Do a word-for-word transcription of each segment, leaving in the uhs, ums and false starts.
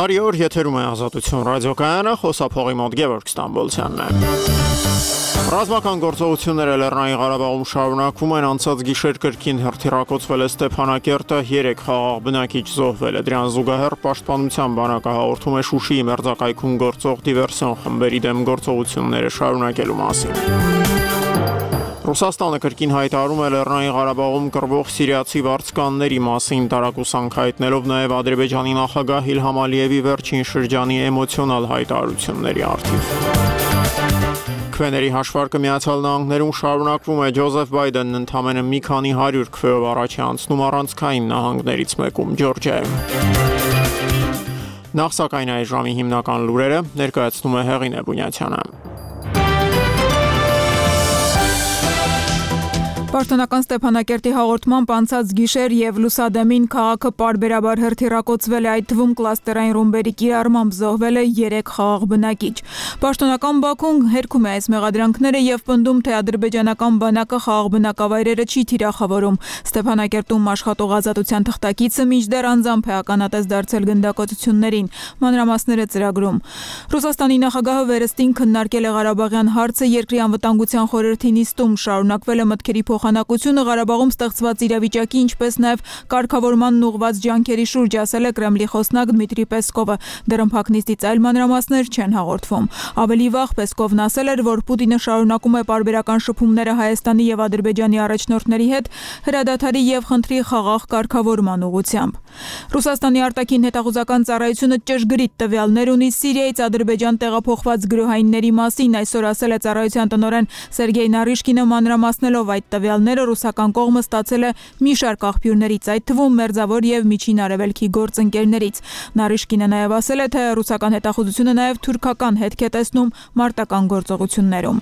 Բարի օր, եթերում է Ազատություն ռադիոկայանը, խոսափողի մոտ Գևորգ Ստամբոլցյանն է։ Ռազմական գործողությունները Լեռնային Ղարաբաղում շարունակվում են, անցած գիշեր կրկին հրթիռակոծվել է Ստեփանակերտը, երեք խաղաղ բնակիչ զոհվել է։ Դրան զուգահեռ Պաշտպանության բանակը հաղորդում է Շուշիի մերձակայքում գործող դիվերսիոն խմբերի դեմ գործողությունները շարունակելու մասին։ Ռուսաստանը կրկին հայտարարում է Լեռնային Ղարաբաղում կռվող սիրիացի վարձկանների մասին, տարակուսանք հայտնելով նաև Ադրբեջանի նախագահ Իլհամ Ալիևի վերջին շրջանի էմոցիոնալ հայտարարությունների առթիվ։ Քվեների հաշվարկը Միացյալ Նահանգներում շարունակվում է, Ջոզեֆ Բայդենն ընդամենը մի քանի հարյուր քվեով առաջ է անցնում առանցքային նահանգներից մեկում Ջորջիայում։ Նախ սակայն այս ժամի հիմնական լուրերը ներկայացնում է Հեղինե Բունյացյանը։ Պաշտոնական Ստեփանակերտի հաղորդմամբ անցած գիշեր եւ լուսադեմին քաղաքը պարբերաբար հրթիռակոծվել է, այդ թվում կլաստերային ռումբերի կիրառմամբ զոհվել է երեք խաղաղ բնակիչ։ Պաշտոնական Բաքուն հերքում է այս մեղադրանքները եւ պնդում, թե ադրբեջանական բանակը խաղաղ բնակավայրերը չի թիրախավորում։ Ստեփանակերտում աշխատող Ազատության թղթակիցը մինչդեռ անձամբ է ականատես դարձել գնդակոծություններին, մանրամասները ծրագրում։ Ռուսաստանի նախագահը վերստին քննարկել է Ղարաբաղյան հարցը երկրի անվտանգության խորհրդի նիստում, շարունակվել է մտքերի փոխանակությունը Ղարաբաղում ստեղծված իրավիճակի, ինչպես նաև կարգավորմանն ուղղված ջանքերի շուրջ, ասել է Կրեմլի խոսնակ Դմիտրի Պեսկովը։ Դռնփակ նիստից այլ մանրամասներ չեն հաղորդվում։ Ավելի վաղ Պեսկովն ասել էր, որ Պուտինը շարունակում է պարբերական շփումները Հայաստանի եւ Ադրբեջանի առաջնորդների հետ հրադադարի եւ խնդրի խաղաղ կարգավորման ուղղությամբ։ Ռուսաստանի արտաքին հետախուզական ծառայությունը ճշգրիտ տվյալներ ունի Սիրիայից Ադրբեջան տեղափոխված գրոհայինների մասին, այսօր ասել է ծառայության տնօրեն Սերգեյ Նարիշկինը, մանրամասնելով այդ տվյալները ռուսական կողմը ստացել է մի շարք աղբյուրներից, այդ թվում մերձավոր եւ միջին արևելքի գործընկերներից։ Նարիշկինը նաև ասել է, թե ռուսական հետախուզությունը նաև թուրքական հետք է տեսնում մարտական գործողություններում։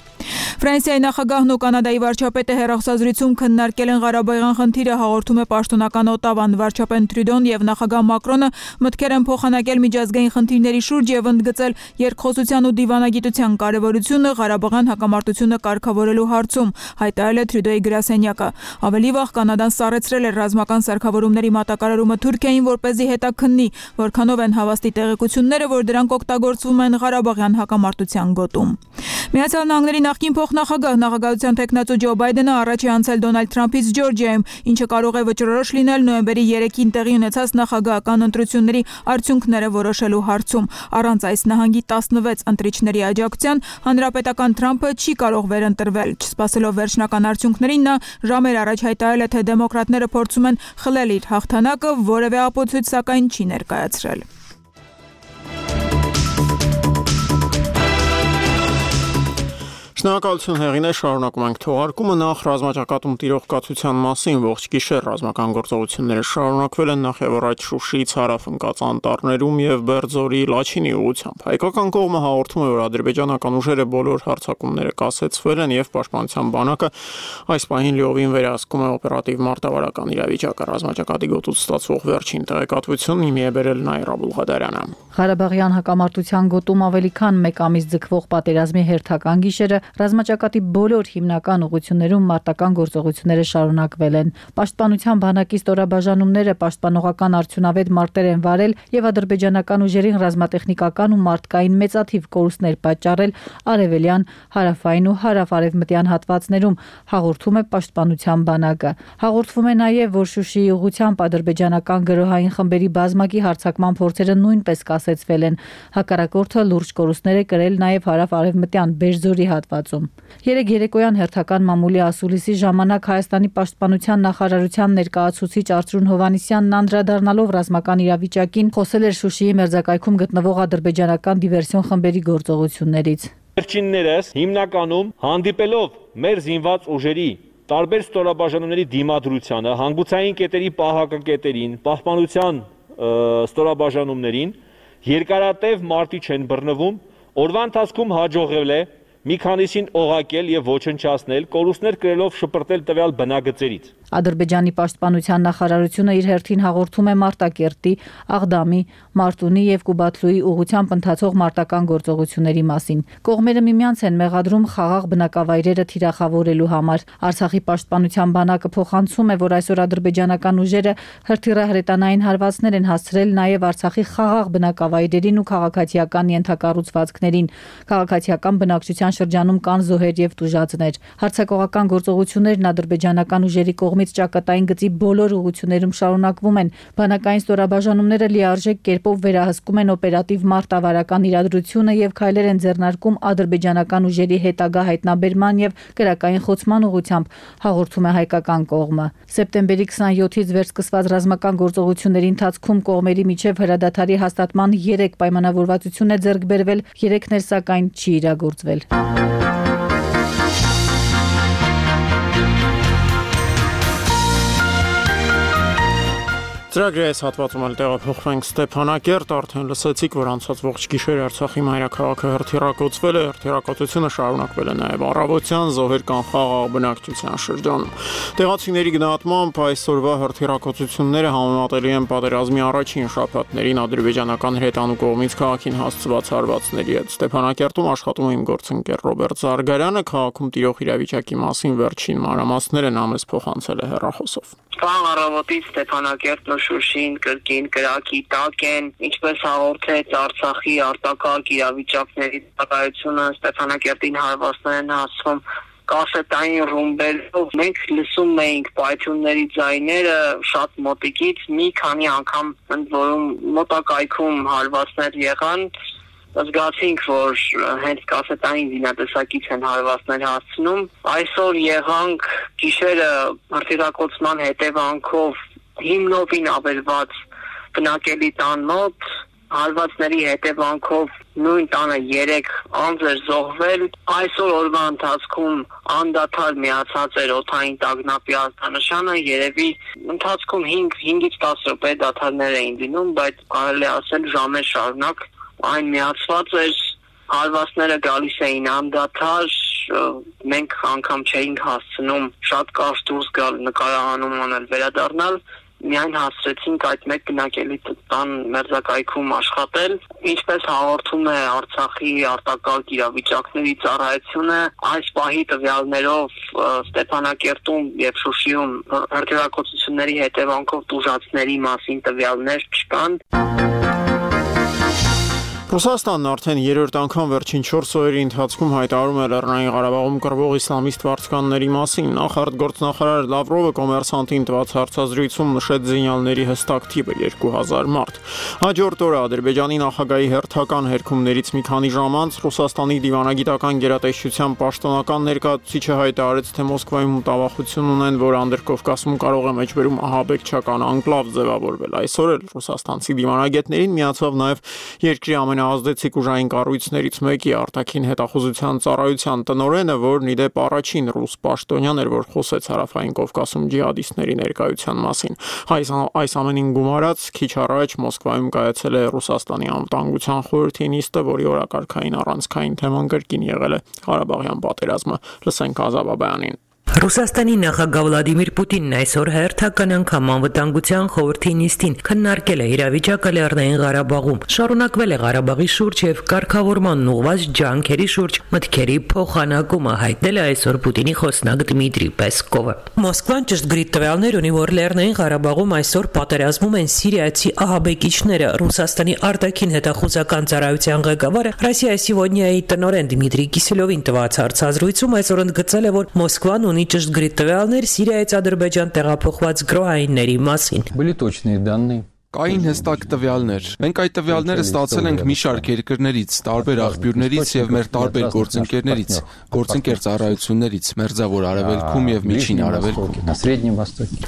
Ֆրանսիայի նախագահն ու Կանադայի վարչապետը հեռախոսազրույցում քննարկել են Ղարաբաղյան խնդիրը, հաղորդում է պաշտոնական Օտավան։ Վարչապետ Տրյուդոն եւ նախագահ Մակրոնը մտքեր են փոխանակել միջազգային խնդիրների շուրջ եւ ընդգծել երկխոսության ու դիվանագիտության կարեւորությունը Ղարաբաղյան հակամարտությունը կարգավորելու հարցում, հայտարարել է Տրյուդոյի գրասենյակը։ Ավելի վաղ Կանադան սառեցրել էր ռազմական սարքավորումների մատակարարումը Թուրքիային, որպեսզի հետաքննի, որքանով են հավաստի տեղեկությունները, որ դրանք օգտագործվում են Ղարաբաղյան հակամարտության գոտում։ Միացյալ Նահանգների նախկին փոխնախագահ նախագահության տեխնացու Ջո Բայդենը առաջ է անցել Դոնալդ Թրամփից Ջորջիայում, ինչը կարող է վճռորոշ լինել նոյեմբերի երեքին տեղի ունեցած նախագահական ընտրությունների արդյունքները որոշելու հարցում։ Առանց այս նահանգի տասնվեց ընտրիչների աջակցության հանրապետական Թրամփը չի կարող վերընտրվել։ Չսպասելով վերջնական արդյունքներին, նա ժամեր առաջ հայտարարել է, թե դեմոկրատները փորձում են խլել իր հաղթանակը, որևէ ապացույց սակայն չի ներկայացրել։ Շնորհակալություն Հեղինե, շարունակում ենք թողարկումը։ Նախ ռազմաճակատում տիրող կացության մասին ողջ գիշեր ռազմական գործողությունները շարունակվել են նախ եւ առաջ Շուշիից հարավ ընկած անտառներում եւ Բերձորի Լաչինի ուղությամբ։ Հայկական կողմը հաղորդում է, որ ադրբեջանական ուժերը բոլոր հարձակումները կասեցվել են եւ պաշտպանության բանակը այս պահին լիովին վերահսկում է օպերատիվ մարտավարական իրավիճակը։ Ռազմաճակատի գոտուց ստացվող վերջին տեղեկատվությունն իմի է բերել Նաիրա Բուլղադարյանը։ Ղարաբաղյան հակամարտության գոտում ավելի քան մեկ ամիս ձգվող պատերազմի հերթական գիշերը ռազմաճակատի բոլոր հիմնական ուղղություններում մարտական գործողությունները շարունակվել են։ Պաշտպանության բանակի ստորաբաժանումները պաշտպանողական արդյունավետ մարտեր են վարել եւ ադրբեջանական ուժերին ռազմատեխնիկական ու մարդկային մեծաթիվ կորուստներ պատճառել արևելյան, հարավային ու հարավ-արևմտյան հատվածներում, հաղորդում է պաշտպանության բանակը։ Հաղորդվում է նաեւ, որ Շուշիի ուղղությամբ ադրբեջանական գրոհային խմբերի բազմակի հարձակման փորձերը նույնպես կասեցվել են։ Հակառակորդը լուրջ կորուստներ է կրել նաեւ հարավ-արևմտյան Բերձորի հատվածում։ Երեկ երեկոյան հերթական մամուլի ասուլիսի ժամանակ Հայաստանի պաշտպանության նախարարության ներկայացուցիչ Արծրուն Հովհաննիսյանն անդրադառնալով ռազմական իրավիճակին խոսել էր Շուշիի մերձակայքում գտնվող ադրբեջանական դիվերսիոն խմբերի գործողություններից։ Վերջիններս հիմնականում հանդիպելով մեր զինված ուժերի տարբեր ստորաբաժանումների դիմադրությանը, հանգուցային կետերի պահակակետերին, պահպանության ստորաբաժանումներին երկարատև մարտի չեն բռնվում, օրվա ընթացքում հաջողվել է մի քանիսին օղակել եւ ոչնչացնել, կորուստներ կրելով շպրտել տվյալ բնագծերից։ Ադրբեջանի պաշտպանության նախարարությունը իր հերթին հաղորդում է Մարտակերտի, Աղդամի, Մարտունի եւ Կուբաթլուի ուղղությամբ ընթացող մարտական գործողությունների մասին։ Կողմերը միմյանց են մեղադրում խաղաղ բնակավայրերը թիրախավորելու համար։ Արցախի պաշտպանության բանակը փոխանցում է, որ այսօր ադրբեջանական ուժերը հրթիռահրետանային հարվածներ են հասցրել նաև Արցախի խաղաղ բնակավայրերին ու քաղաքացիական ենթակառուցվածքներին։ Քաղաքացիական բնակչության շրջանում կան զոհեր եւ տուժածներ։ Հարձակողական գործողություններն ադրբեջանական ուժերի կողմից ճակատային գծի բոլոր ուղղություններում շարունակվում են։ Բանակային ստորաբաժանումները լիարժեք կերպով վերահսկում են օպերատիվ մարտավարական իրադրությունը եւ քայլեր են ձեռնարկում ադրբեջանական ուժերի հետագա հայտնաբերման եւ կրակային խոցման ուղղությամբ, հաղորդում է հայկական կողմը։ Սեպտեմբերի քսաներկուից վերսկսված ռազմական գործողությունների ընթացքում կողմերի միջև հրադադարի հաստատման երեք պայմանավորվածություն է ձեռք բերվել, երեքն էլ սակայն չի իրագործվել։ Ծրագրի այս հատվածում էլ տեղափոխվենք Ստեփանակերտ, արդեն լսեցիք, որ անցած ողջ գիշեր Արցախի մայրաքաղաքը հրթիռակոծվել է, հրթիռակոծությունը շարունակվել է նաև առավոտյան, զոհեր կան խաղաղ բնակչության շրջանում։ Տեղացիների գնահատմամբ այսօրվա հրթիռակոծությունները համեմատելի են պատերազմի առաջին շաբաթներին ադրբեջանական հրետանու կողմից քաղաքին հասցված հարվածների հետ։ Ստեփանակերտում աշխատում է իմ գործընկեր Ռոբերտ Զարգարյանը, քաղաքում տիրող իրավիճակի մասին վերջին մանրամասները նա մեզ փոխանցել է հեռախոսով։ Վաղ առավոտից Ստեփանակերտն ու Շուշին կրկին կրակի տակ են, ինչպես հաղորդեց Արցախի արտակարգ իրավիճակների ծառայությունը, Ստեփանակերտին հարվածներ են հասցվում կասետային ռումբերով։ Մենք լսում էինք պայթյունների ձայները շատ մոտիկից, մի քանի անգամ ընդ որում մոտակայքում հարվածներ եղան։ Զգացինք, որ հենց կասետային զինատեսակից են հարվածներ հասցնում։ Այսօր եղանք գիշերը հրթիռակոծման հետևանքով հիմնովին ավերված բնակելի տան մոտ, հարվածների հետևանքով նույն տանը երեք անձ էր զոհվել։ Այսօր օրվա ընթացքում անդադար միացած էր օդային տագնապի արտանշանը, երևի ընթացքում հինգից տասը րոպե դադարներ էին լինում, բայց կարելի ասել ժամեր շարունակ այն միացված էր, հարվածները գալիս էին անդադար, մենք անգամ չէինք հասցնում շատ կարճ դուրս գալ նկարահանում անել վերադառնալ, միայն հասցրեցինք այդ մեկ բնակելի տան մերձակայքում աշխատել։ Ինչպես հաղորդում է Արցախի արտակարգ իրավիճակների ծառայությունը, այս պահի տվյալներով Ստեփանակերտում եւ Շուշիում հրթիռակոծությունների հետևանքով տուժածների մասին տվյալներ չկան։ Ռուսաստանն արդեն երրորդ անգամ վերջին չորս օրերի ընթացքում հայտարարում է Լեռնային Ղարաբաղում կռվող իսլամիստ վարձկանների մասին։ Նախ արտգործնախարար Լավրովը կոմերսանտին տված հարցազրույցում նշեց զինյալների հստակ թիվը՝ երկու հազար մարդ։ Հաջորդ օրը Ադրբեջանի նախագահի հերթական հերքումներից մի քանի ժամ անց Ռուսաստանի դիվանագիտական գերատեսչության պաշտոնական ներկայացուցիչը հայտարարեց, թե Մոսկվայում մտավախություն ունեն, որ Անդրկովկասում կարող է մեջբերում ահաբեկչական անկլավ ձևավորվել։ Այսօր էլ ռուսաստանցի դիվանագետներին միացավ նաև երկրի ամենաազդեցիկ ուժային կառույցներից մեկի արտաքին հետախուզության ծառայության տնօրենը, որն ի դեպ առաջին ռուս պաշտոնյան էր, որ խոսեց Հարավային Կովկասում ջիհադիստների ներկայության մասին։ Այս, այս ամենին գումարած քիչ առաջ Մոսկվայում կայացել է Ռուսաստանի անվտանգության խորհրդի նիստը, որի օրակարգային առանցքային թեման կրկին եղել է Ղարաբաղյան պատերազմը։ Լսենք Ազավ Աբայանին։ Ռուսաստանի նախագահ Վլադիմիր Պուտինն այսօր հերթական անգամ անվտանգության խորհրդի նիստին քննարկել է իրավիճակը Լեռնային Ղարաբաղում։ Շարունակվել է Ղարաբաղի շուրջ եւ կարգավորման ուղղված ջանքերի շուրջ մտքերի փոխանակումը, հայտնել է այսօր Պուտինի խոսնակ Դմիտրի Պեսկովը։ Մոսկվան ճշգրիտ տվյալներ ունի, որ Լեռնային Ղարաբաղում այսօր պատերազմում են սիրիացի ահաբեկիչները։ Ռուսաստանի արտաքին հետախուզական ծառայության ղեկավարը Ռոսիայի Սիվոդնիայի տնօրեն Դմիտրի Կիսելովին տված հարցազրույցում այսօր ընդգծել է, որ Մոսկվան ունի ճշգրիտ տվյալներ Սիրիայից Ադրբեջան տեղափոխված գրոհայինների մասին։ Были точные данные. Կային հստակ տվյալներ։ Մենք այդ տվյալները ստացել ենք մի շարք երկրներից, տարբեր աղբյուրներից եւ մեր տարբեր գործընկերներից, գործընկեր ծառայություններից, Մերձավոր Արևելքում եւ Միջին Արևելքում։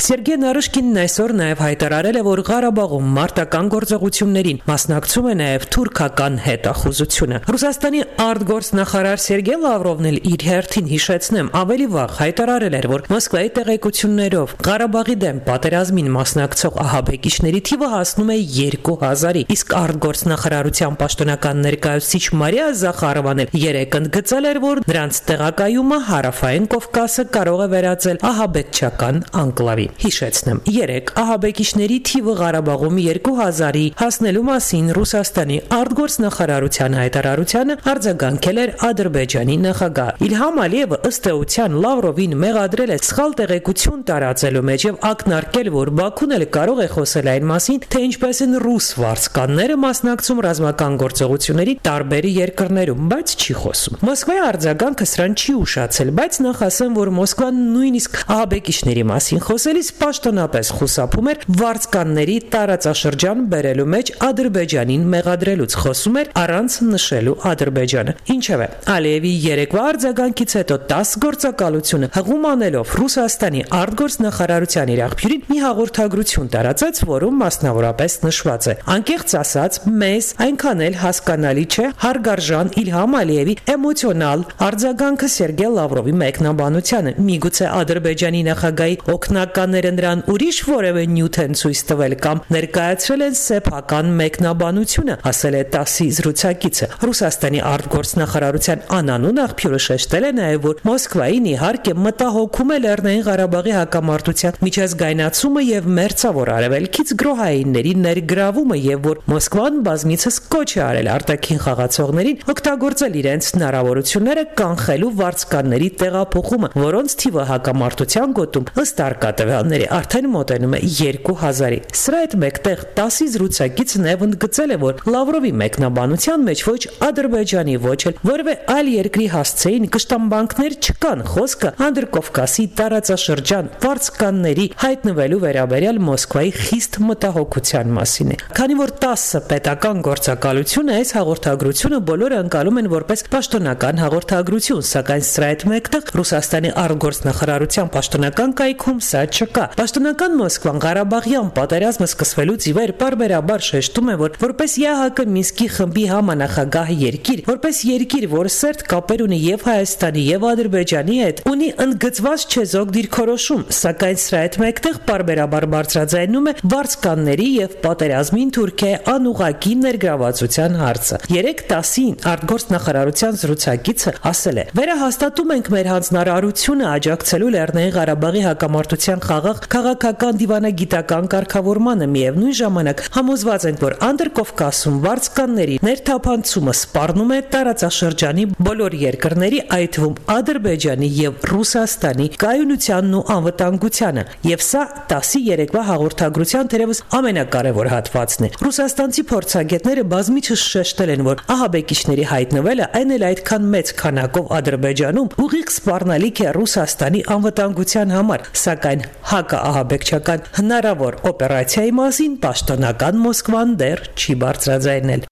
Սերգեյ Նարիշկինն այսօր նաեւ հայտարարել է, որ Ղարաբաղում մարտական գործողություններին մասնակցում է նաեւ թուրքական հետախուզությունը։ Ռուսաստանի արտգործնախարար Սերգեյ Լավրովն էլ իր հերթին հիշեցնեմ ավելի վաղ հայտարարել էր, որ Մոսկվայի տեղեկություններով Ղարաբաղի դեմ պատերազմին մասնակցող ահաբեկիչների թիվը հասնում է երկու հազարի, իսկ արտգործնախարարության պաշտոնական ներկայացուցիչ Մարիա Զախարովան էլ երեկ ընդգծել էր, որ նրանց տեղակայումը Հարավային Կովկասը կարող է վերածել ահաբեկչական անկլավի։ Հիշեցնեմ, երեկ ահաբեկիչների թիվը Ղարաբաղում երկու հազարի հասնելու մասին Ռուսաստանի արտգործնախարարության հայտարարությանը արձագանքել էր Ադրբեջանի նախագահ Իլհամ Ալիևը ըստ էության Լավրովին մեղադրել է սխալ տեղեկություն տարածելու մեջ եւ ակնարկել, որ Բաքուն էլ կարող է խոսել այն մասին, թե ինչպես են ռուս վարձկանները մասնակցում ռազմական գործողությունների տարբեր երկրներում, բայց չի խոսում։ Մոսկվայի արձագանքը սրան չի ուշացել, բայց նախ ասեմ, որ Մոսկվան նույնիսկ ահաբեկիչների մասին խոսելիս պաշտոնապես խուսափում էր վարձկանների տարածաշրջան բերելու մեջ Ադրբեջանին մեղադրելուց, խոսում էր առանց նշելու Ադրբեջանը։ Ինչևէ, Ալիևի երեկվա արձագանքից հետո տաս գործակալությունը հղում անելով Ռուսաստանի արտգործնախարարության իր աղբյուրին մի հաղորդագրություն տարածեց, որում մասնավորապես նշված է. անկեղծ ասած, մեզ այնքան էլ հասկանալի չէ հարգարժան Իլհամ Ալիևի էմոցիոնալ արձագանքը Սերգեյ Լավրովի մեկնաբանությանը։ Միգուցե Ադրբեջանի նախագահի օգնականները նրան ուրիշ որևէ նյութ են ցույց տվել կամ ներկայացրել են սեփական մեկնաբանությունը, ասել է տասի զրուցակիցը։ Ռուսաստանի արտգործնախարարության անանուն աղբյուրը շեշտել է նաև, որ Մոսկվային իհարկե մտահոգում է Լեռնային Ղարաբաղի հակամարտության միջազգայնացումը եւ մերձավոր արևելքից գրոհայինների ներգրավումը եւ որ Մոսկվան բազմիցս կոչ է արել արտաքին խաղացողներին օգտագործել իրենց հնարավորությունները կանխելու վարձկանների տեղափոխումը, որոնց թիվը հակամարտության գոտում ըստ արկատվյանների արդեն մոտենում է երկու հազարի։ Սրա հետ մեկտեղ տասի զրուցակիցը նաև ընդգծել է, որ Լավրովի մեկնաբանության մեջ ոչ Ադրբեջանի, ոչ էլ որևէ այլ երկրի հասցեին կշտամբանքներ չկան, խոսքը Անդրկովկասի տարածաշրջան վարձկանների հայտնվելու վերաբերյալ Մոսկվայի խիստ մտահոգության մասին է։ Քանի որ տասը պետական գործակալությունը այս հաղորդագրությունը բոլորը ընկալում են որպես պաշտոնական հաղորդագրություն, սակայն սրա հետ մեկտեղ Ռուսաստանի արտգործնախարարության պաշտոնական կայքում սա չկա։ Պաշտոնական Մոսկվան Ղարաբաղյան պատերազմը սկսվելուց ի վեր պարբերաբար շեշտում է, որ որպես ԵԱՀԿ Մինսկի խմբի համանախագահ երկիր, որպես երկիր, որը սերտ կապեր ունի եւ Հայաստանի եւ Ադրբեջանի հետ, ունի ընդգծված չեզոք դիրքորոշում, սակայն սրա հետ մեկտեղ պարբերաբար բարձրաձայնում է վարձկանների եւ պատերազմին Թուրքիայի անուղակի ներգրավվածության հարցը։ երեք տասին արտգործնախարարության զրուցակիցը ասել է. «Վերահաստատում ենք մեր հանձնարարությունը աջակցելու Լեռնային Ղարաբաղի հակամարտության խաղաղ քաղաքական դիվանագիտական կարգավորմանը, միևնույն ժամանակ համոզված ենք, որ Անդրկովկասում վարձկանների ներթափանցումը սպառնում է տարածաշրջանի բոլոր երկրների, այդ թվում Ադրբեջանի եւ Ռուսաստանի կայունությանն ու անվտանգությանը, եւ սա տասի երեկվա հաղորդագրության թերևս ամենակարևոր հատվածն է։ Ռուսաստանցի փորձագետները բազմիցս շեշտել են, որ ահաբեկիչների հայտնվելը այն էլ այդքան մեծ քանակով Ադրբեջանում ուղիղ սպառնալիք է Ռուսաստանի անվտանգության համար, սակայն հակաահաբեկչական հնարավոր օպերացիայի մասին պաշտոնական Մոսկվան դեռ չի բարձրաձայնել։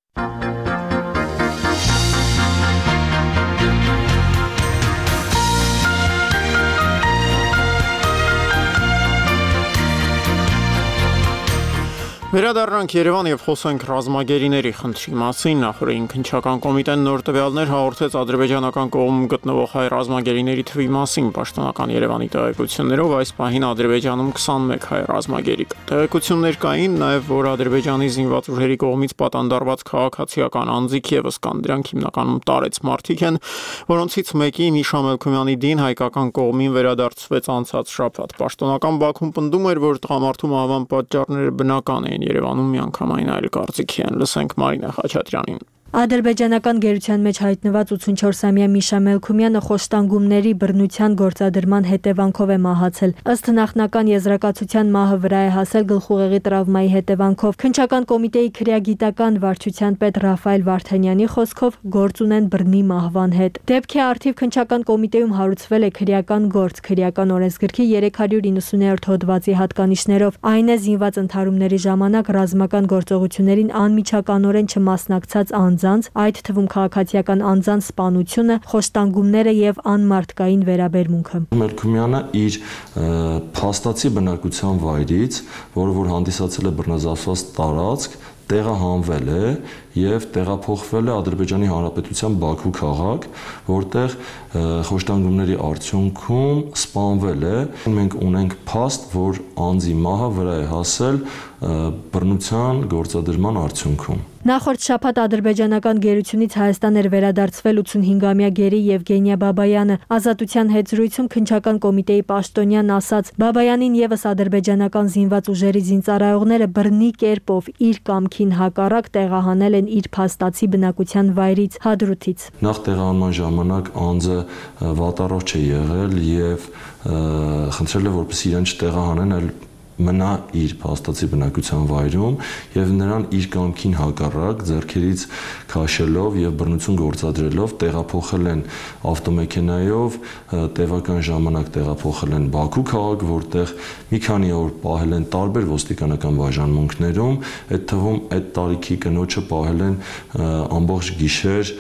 Վերադառնանք Երևան եւ խոսենք ռազմագերիների խնդրի մասին։ Նախորդին քննչական կոմիտեն նոր տվյալներ հաղորդեց ադրբեջանական կողմում գտնվող հայ ռազմագերիների թվի մասին։ Պաշտոնական Երևանի տեղեկություններով այս պահին Ադրբեջանում քսանմեկ հայ ռազմագերի կա։ Տեղեկություններ կային նաեւ, որ Ադրբեջանի զինված ուժերի կողմից պատանդարված քաղաքացիական անձիկ եւս կան։ Դրանք հիմնականում տարեց մարդիկ են, որոնցից մեկի Միշա Մելքումյանի դին հայկական կողմին վերադարձվեց անցած շաբաթ։ Պաշտոնական Բաքուն պնդում էր, որ տղամարդու մահվան պատճառները բնական են։ Երևանում միանգամայն այլ կարծիքի են։ Լսենք Մարինա Խաչատրյանին։ Ադրբեջանական գերության մեջ հայտնված ութսունչորսամյա Միշա Մելքումյանը խոշտանգումների բռնության գործադրման հետևանքով է մահացել։ Ըստ նախնական եզրակացության մահը վրա է հասել գլխուղեղի տրավմայի հետևանքով։ Քննչական կոմիտեի քրեագիտական վարչության պետ Ռաֆայել Վարդանյանի խոսքով գործ ունեն բռնի մահվան հետ։ Դեպքի առթիվ քննչական կոմիտեում հարուցվել է քրեական գործ քրեական օրենսգրքի երեք հարյուր իննսուներորդ հոդվածի հատկանիշներով։ Այն է զինված ընդհարումների ժամանակ ռազմական գործողություններին անմիջականորեն չմասնակցած անձանց, այդ թվում քաղաքացիական անձանց սպանությունը, խոշտանգումները եւ անմարդկային վերաբերմունքը։ Մելքումյանը իր փաստացի բնակության վայրից, որը որ հանդիսացել է բռնազավսված տարածք, տեղահանվել է եւ տեղափոխվել է Ադրբեջանի Հանրապետության Բաքու քաղաք, որտեղ խոշտանգումների արդյունքում սպանվել է։ Մենք ունենք փաստ, որ անձի մահը վրա է հասել բռնության գործադրման արդյունքում։ Նախորդ շաբաթ ադրբեջանական գերությունից Հայաստան էր վերադարձվել ութսունհինգամյա գերի Եվգենիա Բաբայանը։ Ազատության հետ զրույցում քննչական կոմիտեի պաշտոնյան ասաց. Բաբայանին եւս ադրբեջանական զինված ուժերի զինծառայողները բռնի կերպով իր կամքին հակառակ տեղահանել են իր փաստացի բնակության վայրից Հադրութից։ Նախ տեղահանման ժամանակ անձը վատառողջ է եղել եւ խնդրել է, որպեսզի իրեն չտեղահանեն, այլ մնա իր փաստացի բնակության վայրում եւ նրան իր կամքին հակառակ ձեռքերից քաշելով եւ բռնություն գործադրելով տեղափոխել են ավտոմեքենայով, տևական ժամանակ տեղափոխել են Բաքու քաղաք, որտեղ մի քանի օր պահել են տարբեր ոստիկանական բաժանմունքներում, այդ թվում այդ տարիքի կնոջը պահել են ամբողջ գիշեր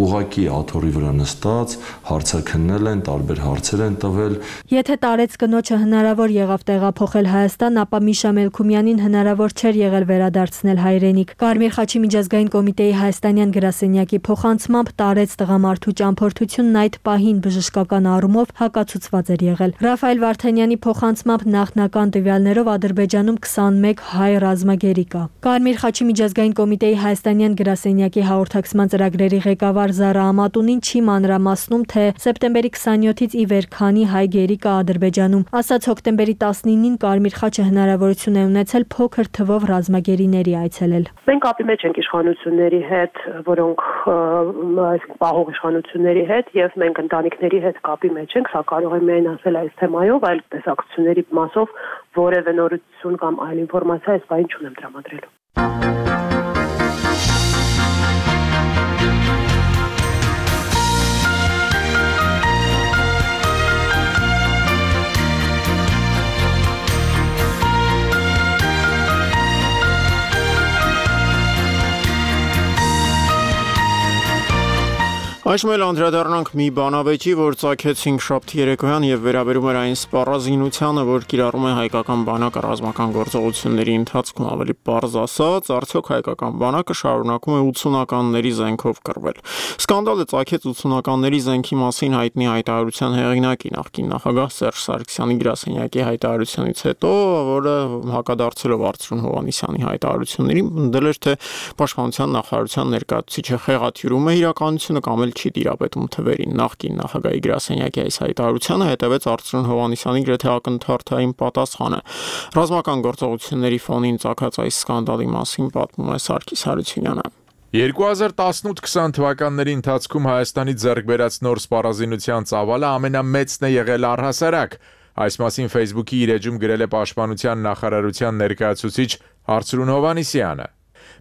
ուղակի աթոռի վրա նստած, հարցաքննել են, տարբեր հարցեր են տվել։ Եթե տարեց կնոջը հնարավոր եղավ տեղափոխել Հայաստան, ապա Միշա Մելքումյանին հնարավոր չէր եղել վերադարձնել հայրենիք։ Կարմիր խաչի միջազգային կոմիտեի հայաստանյան գրասենյակի փոխանցմամբ տարեց տղամարդու ճամփորդությունն այդ պահին բժշկական առումով հակացուցված էր եղել։ Ռաֆայել Վարդանյանի փոխանցմամբ նախնական տվյալներով Ադրբեջանում քսանմեկ հայ ռազմագերի կա։ Կարմիր խաչի միջազգային կոմիտեի հայաստանյան գրասենյակի հաղորդակցման ծրագրերի ղեկավար Զարա Ամատունին չի մանրամասնում, թե սեպտեմբերի քսաներկուից ի վեր քանի հայ գերի կա Ադրբեջանում։ Ասաց հոկտեմբերի տասնինին Կարմիր խաչը հնարավորություն է ունեցել փոքր թվով ռազմագերիների այցելել։ Մենք կապի մեջ ենք իշխանությունների հետ, որոնք պահող իշխանությունների հետ, եւ մենք ընտանիքների հետ կապի մեջ ենք, սա կարող եմ միայն ասել այս թեմայով, այլ տեսակցությունների մասով որևէ նորություն կամ այլ ինֆորմացիա այս բանը չունեմ տրամադրելու։ Այսօր էլ անդրադառնանք մի բանավեճի, որ ծագեցինք շաբթի երեկոյան եւ վերաբերում էր այն սպառազինությանը, որ կիրառում է հայկական բանակը ռազմական գործողությունների ընթացքում, ավելի պարզ ասած, արդյոք հայկական բանակը շարունակում է ութսունականների զենքով կռվել։ Սկանդալը ծագեց ութսունականների զենքի մասին հայտնի հայտարարության հեղինակի նախկին նախագահ Սերժ Սարգսյանի գրասենյակի հայտարարությունից հետո, որը հակադարձելով Արծրուն Հովհաննիսյանի հայտարարություններին ընդդել էր, թե Պաշտպանության նախարարության ներկայացուցիչը խեղաթյուրում է իրականությունը կամ չի դիրապետում թվերին։ Նախկին նախագահի գրասենյակի այս հայտարարությանը հետևեց Արծրուն Հովհաննիսյանի գրեթե ակնթարթային պատասխանը։ Ռազմական գործողությունների ֆոնին ծագած այս սկանդալի մասին պատմում է Սարգիս Հարությունյանը։ երկու հազար տասնութ քսան թվականների ընթացքում Հայաստանի ձեռք բերած նոր սպառազինության ծավալը ամենամեծն է եղել առհասարակ։ Այս մասին Facebook-ի իր էջում գրել է Պաշտպանության նախարարության ներկայացուցիչ Արծրուն Հովհաննիսյանը։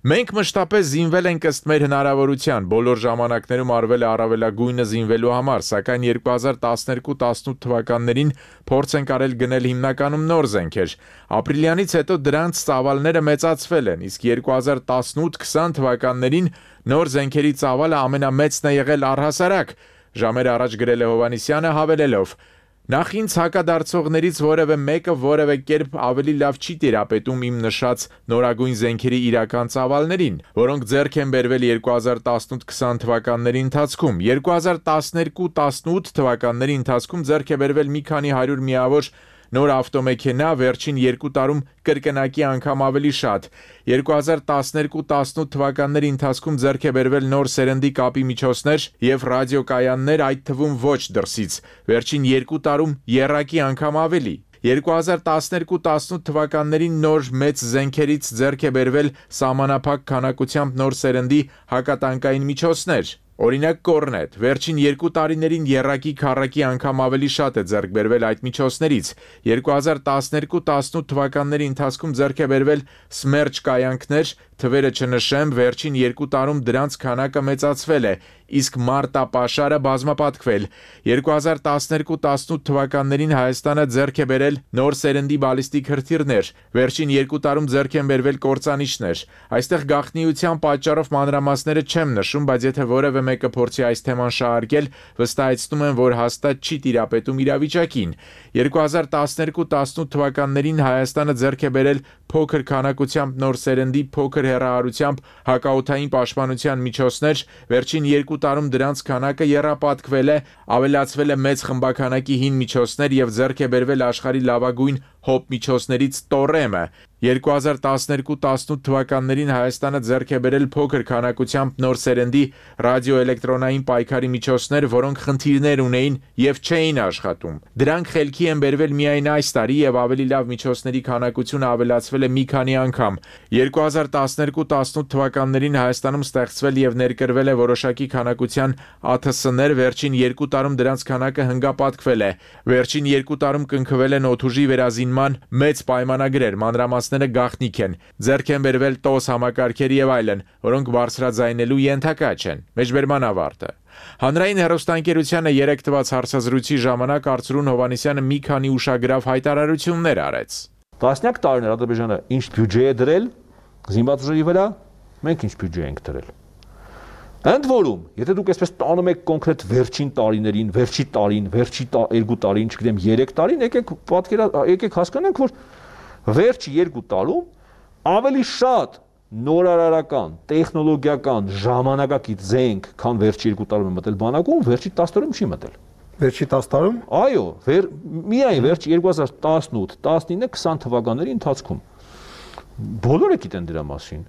Մենք մշտապես զինվել ենք ըստ մեր հնարավորության, բոլոր ժամանակներում արվել է առավելագույնը զինվելու համար, սակայն երկու հազար տասներկու տասնութ թվականներին փորձ ենք արել գնել հիմնականում նոր զենքեր։ Ապրիլյանից հետո դրանց ծավալները մեծացվել են, իսկ երկու հազար տասնութ քսան թվականներին նոր զենքերի ծավալը ամենամեծն է եղել առհասարակ։ Ժամեր առաջ գրել է Հովհաննիսյանը հավելելով. Նախ ինձ հակադարձողներից որևէ մեկը որևէ կերպ ավելի լավ չի տիրապետում իմ նշած նորագույն զենքերի իրական ծավալներին, որոնք ձեռք են բերվել երկու հազար տասնութ քսան թվականների ընթացքում։ երկու հազար տասներկու տասնութ թվականների ընթացքում ձեռք է բերվել մի քանի հարյուր միավոր նոր ավտոմեքենա, վերջին երկու տարում կրկնակի անգամ ավելի շատ։ երկու հազար տասներկու տասնութ թվականների ընթացքում ձեռք է բերվել նոր սերնդի կապի միջոցներ եւ ռադիոկայաններ, այդ թվում ոչ դրսից։ Վերջին երկու տարում եռակի անգամ ավելի։ երկու հազար տասներկու տասնութ թվականներին նոր մեծ զենքերից ձեռք է բերվել սահմանափակ քանակությամբ նոր սերնդի հակատանկային միջոցներ։ Օրինակ կորնետ, վերջին երկու տարիներին եռակի քառակի անգամ ավելի շատ է ձեռք բերվել այդ միջոցներից։ երկու հազար տասներկու տասնութ թվականների ընթացքում ձեռք է բերվել Սմերջ կայանքներ, թվերը չնշեմ, վերջին երկու տարում դրանց քանակը մեծացվել է։ իսկ մարտապաշարը բազմապատկվել։ երկու հազար տասներկու տասնութ թվականներին Հայաստանը ձեռք է բերել նոր սերնդի բալիստիկ հրթիռներ, վերջին երկու տարում ձեռք են բերվել կործանիչներ։ Այստեղ գաղտնիության պատճառով մանրամասները չեմ նշում, բայց եթե որևէ մեկը փորձի այս թեման շահարկել, վստահեցնում եմ, որ հաստատ չի տիրապետում իրավիճակին։ երկու հազար տասներկու տասնութ թվականներին Հայաստանը ձեռք է բերել փոքր քանակությամբ նոր սերնդի փոքր հեռահարությամբ հակաօդային պաշտպանության միջոցներ, վերջին երկու տարում դրանց քանակը եռապատկվել է, ավելացվել է մեծ խմբաքանակի հին միջոցներ եւ ձեռք է բերվել աշխարհի լավագույն հոպ միջոցներից Տորեմը։ երկու հազար տասներկու տասնութ թվականներին Հայաստանը ձեռք է բերել փոքր քանակությամբ նոր սերնդի ռադիոէլեկտրոնային պայքարի միջոցներ, որոնք խնդիրներ ունեին եւ չէին աշխատում։ Դրանք խելքի են բերվել միայն այս տարի եւ ավելի լավ միջոցների քանակությունը ավելացվել է մի քանի անգամ։ երկու հազար տասներկու տասնութ թվականներին Հայաստանում ստեղծվել եւ ներկրվել է որոշակի քանակության A T S-ներ, վերջին երկու տարում դրանց քանակը հնգապատկվել է։ Վերջին երկու տարում կնքվել են օդուժի վերազինման մեծ պայմանագրեր, մանրամասները գաղտնիք են, ձեռք են բերվել տոս համակարգեր եւ այլն, որոնք բարձրաձայնելու ենթակա չեն։ Մեջբերման ավարտը։ Հանրային հեռուստաընկերությանը երեք տված հարցազրույցի ժամանակ Արծրուն Հովհաննիսյանը մի քանի ուշագրավ հայտարարություններ արեց։ Տասնյակ տարիներ Ադրբեջանը ինչ բյուջե է դրել զինված ուժերի վրա, մենք ինչ բյուջե ենք դրել։ Ընդ որում, եթե դուք այսպես տանում եք կոնկրետ վերջին տարիներին, վերջի տարին, վերջի երկու տարին, չգիտեմ, երեք տարին, եկեք պատկերա, եկեք հասկանանք, որ վերջի երկու տարում ավելի շատ նորարարական, տեխնոլոգիական, ժամանակակից զենք, քան վերջի երկու տարում է մտել բանակում, վերջի տասը տարում չի մտել։ Վերջի տասը տարում։ Այո, վեր, միայն վերջի երկու հազար տասնութ, տասնինը, քսան թվականների ընթացքում։ Բոլորը գիտեն դրա մասին։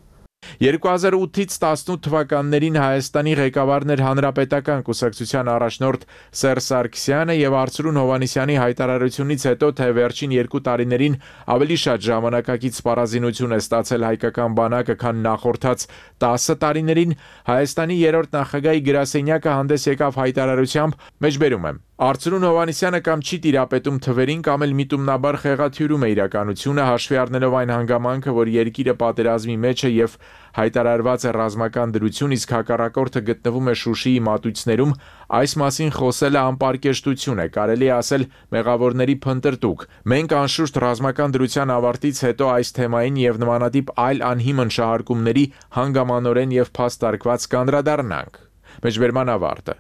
երկու հազար ութից տասնութ թվականներին Հայաստանի ղեկավարն էր Հանրապետական կուսակցության առաջնորդ Սերժ Սարգսյանը եւ Արծրուն Հովհաննիսյանի հայտարարությունից հետո, թե վերջին երկու տարիներին ավելի շատ ժամանակակից սպառազինություն է ստացել հայկական բանակը, քան նախորդած տասը տարիներին, Հայաստանի երրորդ նախագահի գրասենյակը հանդես եկավ հայտարարությամբ, մեջբերում եմ. Արծրուն Հովհաննիսյանը կամ չի տիրապետում թվերին, կամ էլ միտումնաբար խեղաթյուրում է իրականությունը, հաշվի առնելով այն հանգամանքը, որ երկիրը պատերազմի մեջ է եւ հայտարարված է ռազմական դրություն, իսկ հակառակորդը գտնվում է Շուշիի մատույցներում, այս մասին խոսելը անպարկեշտություն է, կարելի է ասել մեղավորների փնտրտուք։ Մենք անշուշտ ռազմական դրության ավարտից հետո այս թեմային եւ նմանատիպ այլ անհիմն շահարկումների հանգամանորեն եւ փաստարկված կանդրադառնանք։ Մեջբերման ավարտը։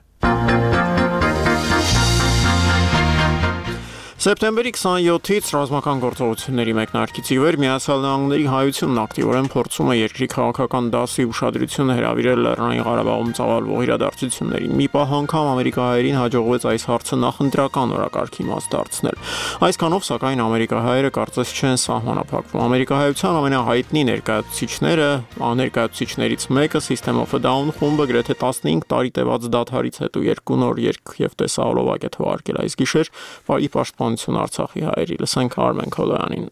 Սեպտեմբերի քսանյոթից ռազմական գործողությունների մեկնարկից ի վեր Միացյալ Նահանգների հայությունն ակտիվորեն փորձում է երկրի քաղաքական դասի ուշադրությունը հրավիրել Լեռնային Ղարաբաղում ծավալվող իրադարձություններին։ Մի պահ անգամ ամերիկահայերին հաջողվեց այս հարցը նախընտրական օրակարգի մաս դարձնել։ Այսքանով, սակայն, ամերիկահայերը կարծես չեն սահմանափակվում։ Ամերիկահայության ամենահայտնի ներկայացուցիչները, ներկայացուցիչներից մեկը System of a Down խումբը գրեթե տասնհինգ տարի տևած դադարից հետո երկու նոր երգ եւ տեսահոլովակ է թվարկել այս գիշեր, բարի պաշտպան Արցախի հայերի, լսենք Արմեն Քոլոյանին։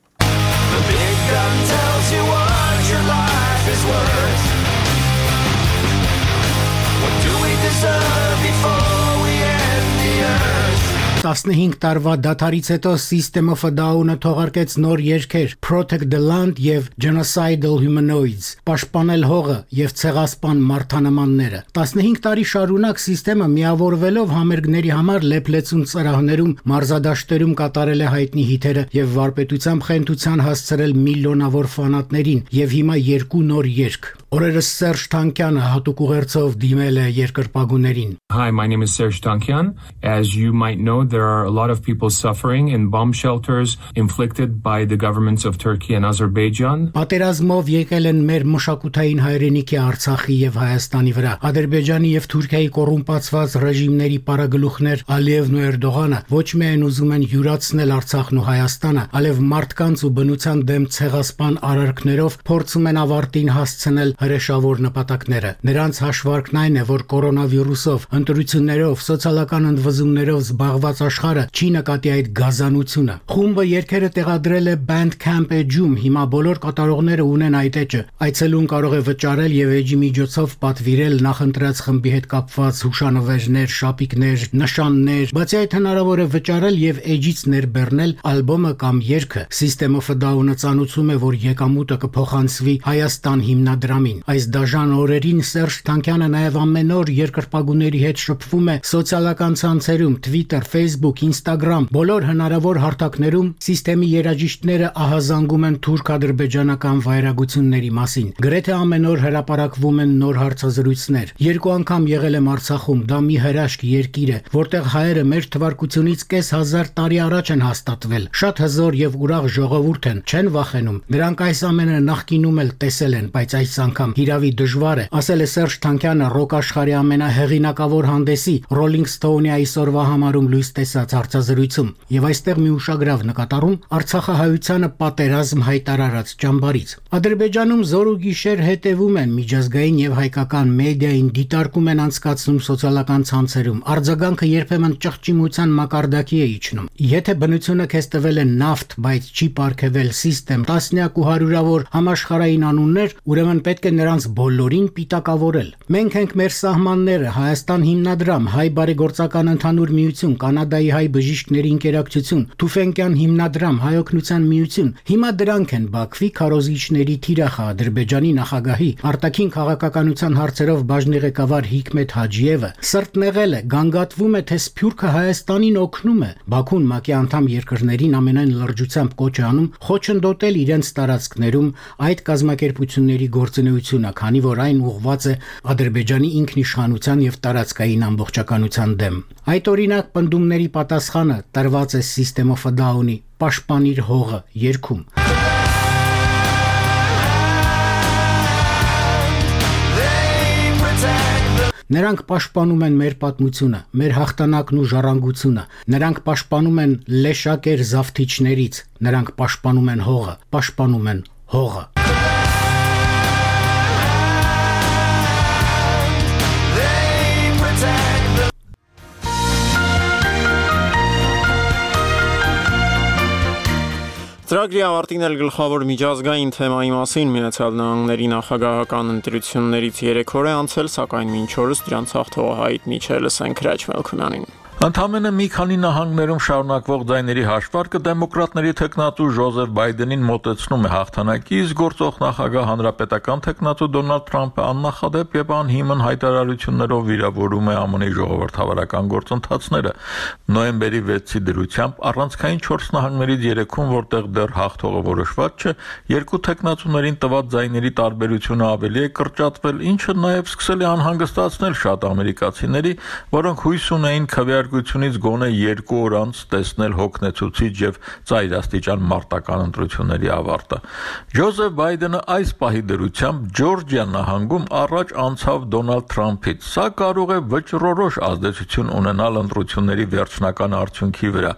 տասնհինգ տարվա դադարից հետո System of a Down-ը թողարկեց նոր երգեր Protect the Land եւ Genocidal Humanoids, պաշտպանել հողը եւ ցեղասպան մարդանմանները։ տասնհինգ տարի շարունակ System-ը միավորվելով համերգների համար լեփլեցուն ծրահներում, մարզադաշտերում կատարել է հայտնի հիթերը եւ վարպետությամբ խենթության հասցրել միլիոնավոր ֆանատներին եւ հիմա երկու նոր երգ։ Օրերս Սերժ Թանկյանը հատուկ ուղերձով դիմել է երկրպագուներին։ Hi, my name is Serge Tankian. As you might know, there are a lot of people suffering in bomb shelters inflicted by the governments of Turkey and Azerbaijan. Պատերազմով եկել են մեր մշակութային հայրենիքի Արցախի եւ Հայաստանի վրա։ Ադրբեջանի եւ Թուրքիայի կոռումպացված ռեժիմների պարագլուխներ Ալիևն ու Էրդողանը ոչ միայն ուզում են յուրացնել Արցախն ու Հայաստանը, այլև մարդկանց ու բնության դեմ ցեղասպան արարքներով փորձում են ավարտին հասցնել հրեշավոր նպատակները։ Նրանց հաշվարկն այն է, որ կորոնավիրուսով, ընտրություններով, սոցիալական ընդվզումներով զբաղված աշխարհը չի նկատի այդ գազանությունը։ Խումբը երգերը տեղադրել է Bandcamp էջում, հիմա բոլոր կատարողները ունեն այդ էջը։ Այցելուն կարող է վճարել եւ էջի միջոցով պատվիրել նախընտրած խմբի հետ կապված հուշանվերներ, շապիկներ, նշաններ, բացի այդ հնարավոր է վճարել եւ էջից ներբեռնել ալբոմը կամ երգը։ System of a Down-ը ցանուցում է, որ եկամուտը կփոխանցվի Հայաստան հիմնադրամի ժամին։ Այս դաժան օրերին Սերժ Թանկյանը նաև ամեն օր երկրպագուների հետ շփվում է սոցիալական ցանցերում, Twitter, Facebook, Instagram, բոլոր հնարավոր հարթակներում սիստեմի երաժիշտները ահազանգում են թուրք-ադրբեջանական վայրագությունների մասին։ Գրեթե ամեն օր հրապարակվում են նոր հարցազրույցներ։ Երկու անգամ եղել եմ Արցախում, դա մի հրաշք երկիր է, որտեղ հայերը մեր թվարկությունից կես հազար տարի առաջ են հաստատվել։ Շատ հզոր եւ ուրախ ժողովուրդ են, չեն վախենում։ Դրանք այս ամենը նախկինում էլ տեսել են, բայց այս անգամ հիրավի դժվար է, ասել է Սերժ Թանկյանը ռոք աշխարհի ամենահեղինակավոր հանդեսի Rolling Stone-ի այսօրվա համարում լույս տեսած հարցազրույցում։ Եվ այստեղ մի ուշագրավ նկատառում Արցախահայությանը պատերազմ հայտարարած ճամբարից։ Ադրբեջանում զոր ու գիշեր հետևում են միջազգային եւ հայկական մեդիային, դիտարկում են անցկացնում սոցիալական ցանցերում։ Արձագանքը երբեմն ճղճիմության մակարդակի է իջնում։ Եթե բնությունը քեզ տվել է նավթ, բայց չի պարգևել սիստեմ, տասնյակ ու հարյուրավոր համաշխարհային անուններ, ուրեմն պետք է նրանց բոլորին պիտակավորել։ Մենք ենք մեր սահմանները, Հայաստան հիմնադրամ, Հայ բարեգործական ընդհանուր միություն, Կանադայի հայ բժիշկների ընկերակցություն, Թուֆենկյան հիմնադրամ, Հայօգնության միություն։ Հիմա դրանք են Բաքվի քարոզիչների թիրախը Ադրբեջանի նախագահի արտաքին քաղաքականության հարցերով բաժնի ղեկավար Հիկմետ Հաջիևը սրտն եղել է, գանգատվում է, թե Սփյուռքը Հայաստանին օգնում է։ Բաքուն ՄԱԿ-ի անդամ երկրներին ամենայն լրջությամբ կոչ է անում խոչընդոտել իրենց տարածքներում այդ կազմակերպությունների գործունեությունը, քանի որ այն ուղղված է Ադրբեջանի ինքնիշխանության եւ տարածքային ամբողջականության դեմ։ Այդ օրինակ պնդումների պատասխանը տրված է System of a Down-ի Պաշտպանիր հողը երգում։ Նրանք պաշտպանում են մեր պատմությունը, մեր հաղթանակն ու ժառանգությունը։ Նրանք պաշտպանում են լեշակեր զավթիչներից, նրանք պաշտպանում են հողը, պաշտպանում են հողը։ Ծրագրի ավարտին էլ գլխավոր միջազգային թեմայի մասին Միացյալ Նահանգների նախագահական ընտրություններից երեք օր է անցել, սակայն մինչ օրս դրանց հաղթողը հայտնի չէ, լսենք Հրաչ Մելքոնյանին։ Ընդամենը մի քանի նահանգներում շարունակվող ձայների հաշվարկը դեմոկրատների թեկնածու Ջոզեֆ Բայդենին մոտեցնում է հաղթանակի, իսկ գործող նախագահ հանրապետական թեկնածու Դոնալդ Թրամփը աննախադեպ եւ անհիմն հայտարարություններով վիրավորում է ԱՄՆ-ի ժողովրդավարական գործընթացները։ Նոյեմբերի վեցի դրությամբ առանցքային չորս նահանգներից երեքում, որտեղ դեռ հաղթողը որոշված չէ, երկու թեկնածուներին տված ձայների տարբերությունը ավելի է կրճատվել, ինչը նաեւ սկսել է անհանգստացնել շատ ամերիկացիների, որոնք հույս ունեին քվեարկությունից գոնե երկու օր անց տեսնել հոգնեցուցիչ եւ ծայրաստիճան մարտական ընտրությունների ավարտը։ Ջոզեֆ Բայդենը այս պահի դրությամբ Ջորջիա նահանգում առաջ անցավ Դոնալդ Թրամփից։ Սա կարող է վճռորոշ ազդեցություն ունենալ ընտրությունների վերջնական արդյունքի վրա։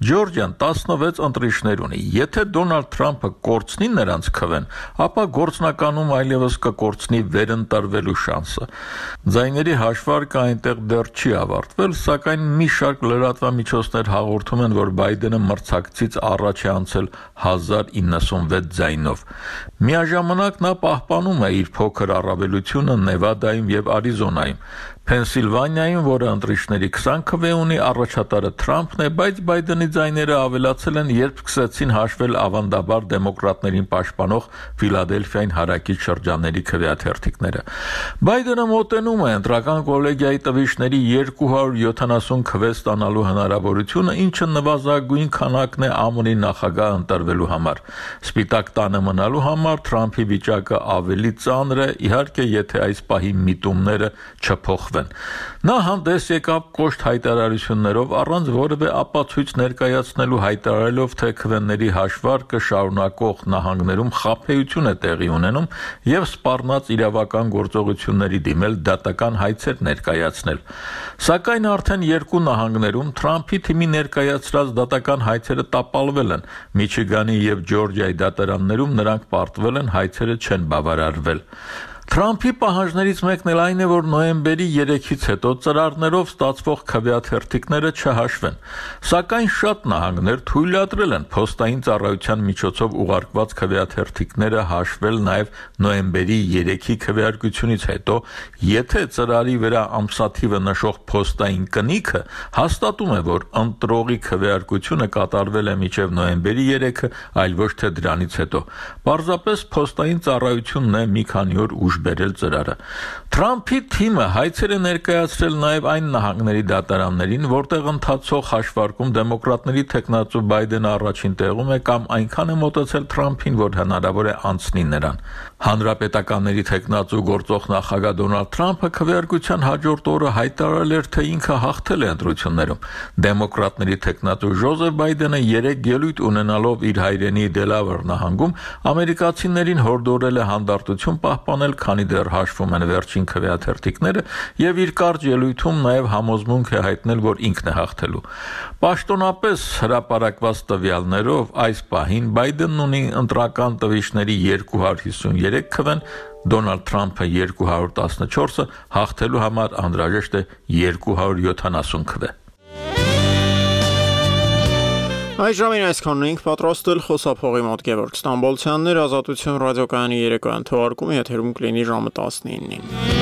Ջորջիան տասնվեց ընտրիչներ ունի։ Եթե Դոնալդ Թրամփը կորցնի նրանց քվեն, ապա գործնականում այլևս կկորցնի վերընտրվելու շանսը։ Ձայների հաշվարկը այնտեղ դեռ չի ավարտվել, սակայն մի շարք լրատվամիջոցներ հաղորդում են, որ Բայդենը մրցակցից առաջ է անցել հազար իննսունվեց ձայնով։ Միաժամանակ նա պահպանում է իր փոքր առավելությունը Նևադայում եւ Արիզոնայում։ Փենսիլվանիայում, որը ընտրիչների քսան քվե ունի, առաջատարը Թրամփն է, բայց Բայդենի ձայները ավելացել են, երբ սկսեցին հաշվել ավանդաբար դեմոկրատներին պաշտպանող Ֆիլադելֆիային հարակից շրջանների քվեաթերթիկները։ Բայդենը մոտենում է ընտրական կոլեգիայի տվիչների երկու հարյուր յոթանասուն քվե ստանալու հնարավորությունը, ինչը նվազագույն քանակն է ԱՄՆ-ի նախագահ ընտրվելու համար։ Սպիտակ տանը մնալու համար Թրամփի վիճակը ավելի ծանր է, իհարկե, եթե այս պահի միտումները չփոխվեն։ Նա հանդես եկավ կոշտ հայտարարություններով, առանց որևէ ապացույց ներկայացնելու, հայտարարելով, թե քվեների հաշվարկը շարունակող նահանգներում խաբեություն է տեղի ունենում եւ սպառնաց իրավական գործողությունների դիմել դատական հայցեր ներկայացնել։ Սակայն արդեն երկու նահանգներում Թրամփի թիմի ներկայացրած դատական հայցերը տապալվել են։ Միչիգանի եւ Ջորջիայի դատարաններում նրանք պարտվել են, հայցերը չեն բավարարվել։ Թրամփի պահանջներից մեկն էլ այն է, որ նոյեմբերի երեքից հետո ծրարներով ստացվող քվեաթերթիկները չհաշվեն, սակայն շատ նահանգներ թույլատրել են փոստային ծառայության միջոցով ուղարկված քվեաթերթիկները հաշվել նաև նոյեմբերի երեքի քվեարկությունից հետո, եթե ծրարի վրա ամսաթիվը նշող փոստային կնիքը հաստատում է, որ ընտրողի քվեարկությունը կատարվել է մինչև նոյեմբերի երեքը, այլ ոչ թե դրանից հետո։ Պարզապես փոստային ծառայությունն է մի քանի օր ուշ ուշ բերել ծրարը։ Թրամփի թիմը հայցեր է ներկայացրել նաև այն նահանգների դատարաններին, որտեղ ընթացող հաշվարկում դեմոկրատների թեկնածու Բայդենը առաջին տեղում է կամ այնքան է մոտեցել Թրամփին, որ հնարավոր է անցնի նրան։ Հանրապետականների թեկնածու գործող նախագահ Դոնալդ Թրամփը քվեարկության հաջորդ օրը հայտարարել էր, թե ինքը հաղթել է ընտրություններում։ Դեմոկրատների թեկնածու Ջոզեֆ Բայդենը երեք ելույթ ունենալով իր հայրենի Դելավեր նահանգում ամերիկացիներին հորդորել է հանդարտություն պահպանել, քանի դեռ հաշվում են վերջին քվեաթերթիկները, եւ իր կարճ ելույթում նաեւ համոզմունք է հայտնել, որ ինքն է հաղթելու։ Պաշտոնապես հրապարակված տվյալներով այս պահին Բայդենն ունի ընտրական տվիչների երկու հարյուր հիսունյուրի քվեն, Դոնալդ Թրամփը երկու հարյուր տասնչորսը, հաղթելու համար անհրաժեշտ է երկու հարյուր յոթանասուն քվե։ Այս ժամին այսքանն ենք պատրաստել խոսափողի մոտ Գևորգ Ստամբոլցյաններ, Ազատություն ռադիոկայանի երեկոյան թողարկումը եթերում կլինի ժամը տասնինին։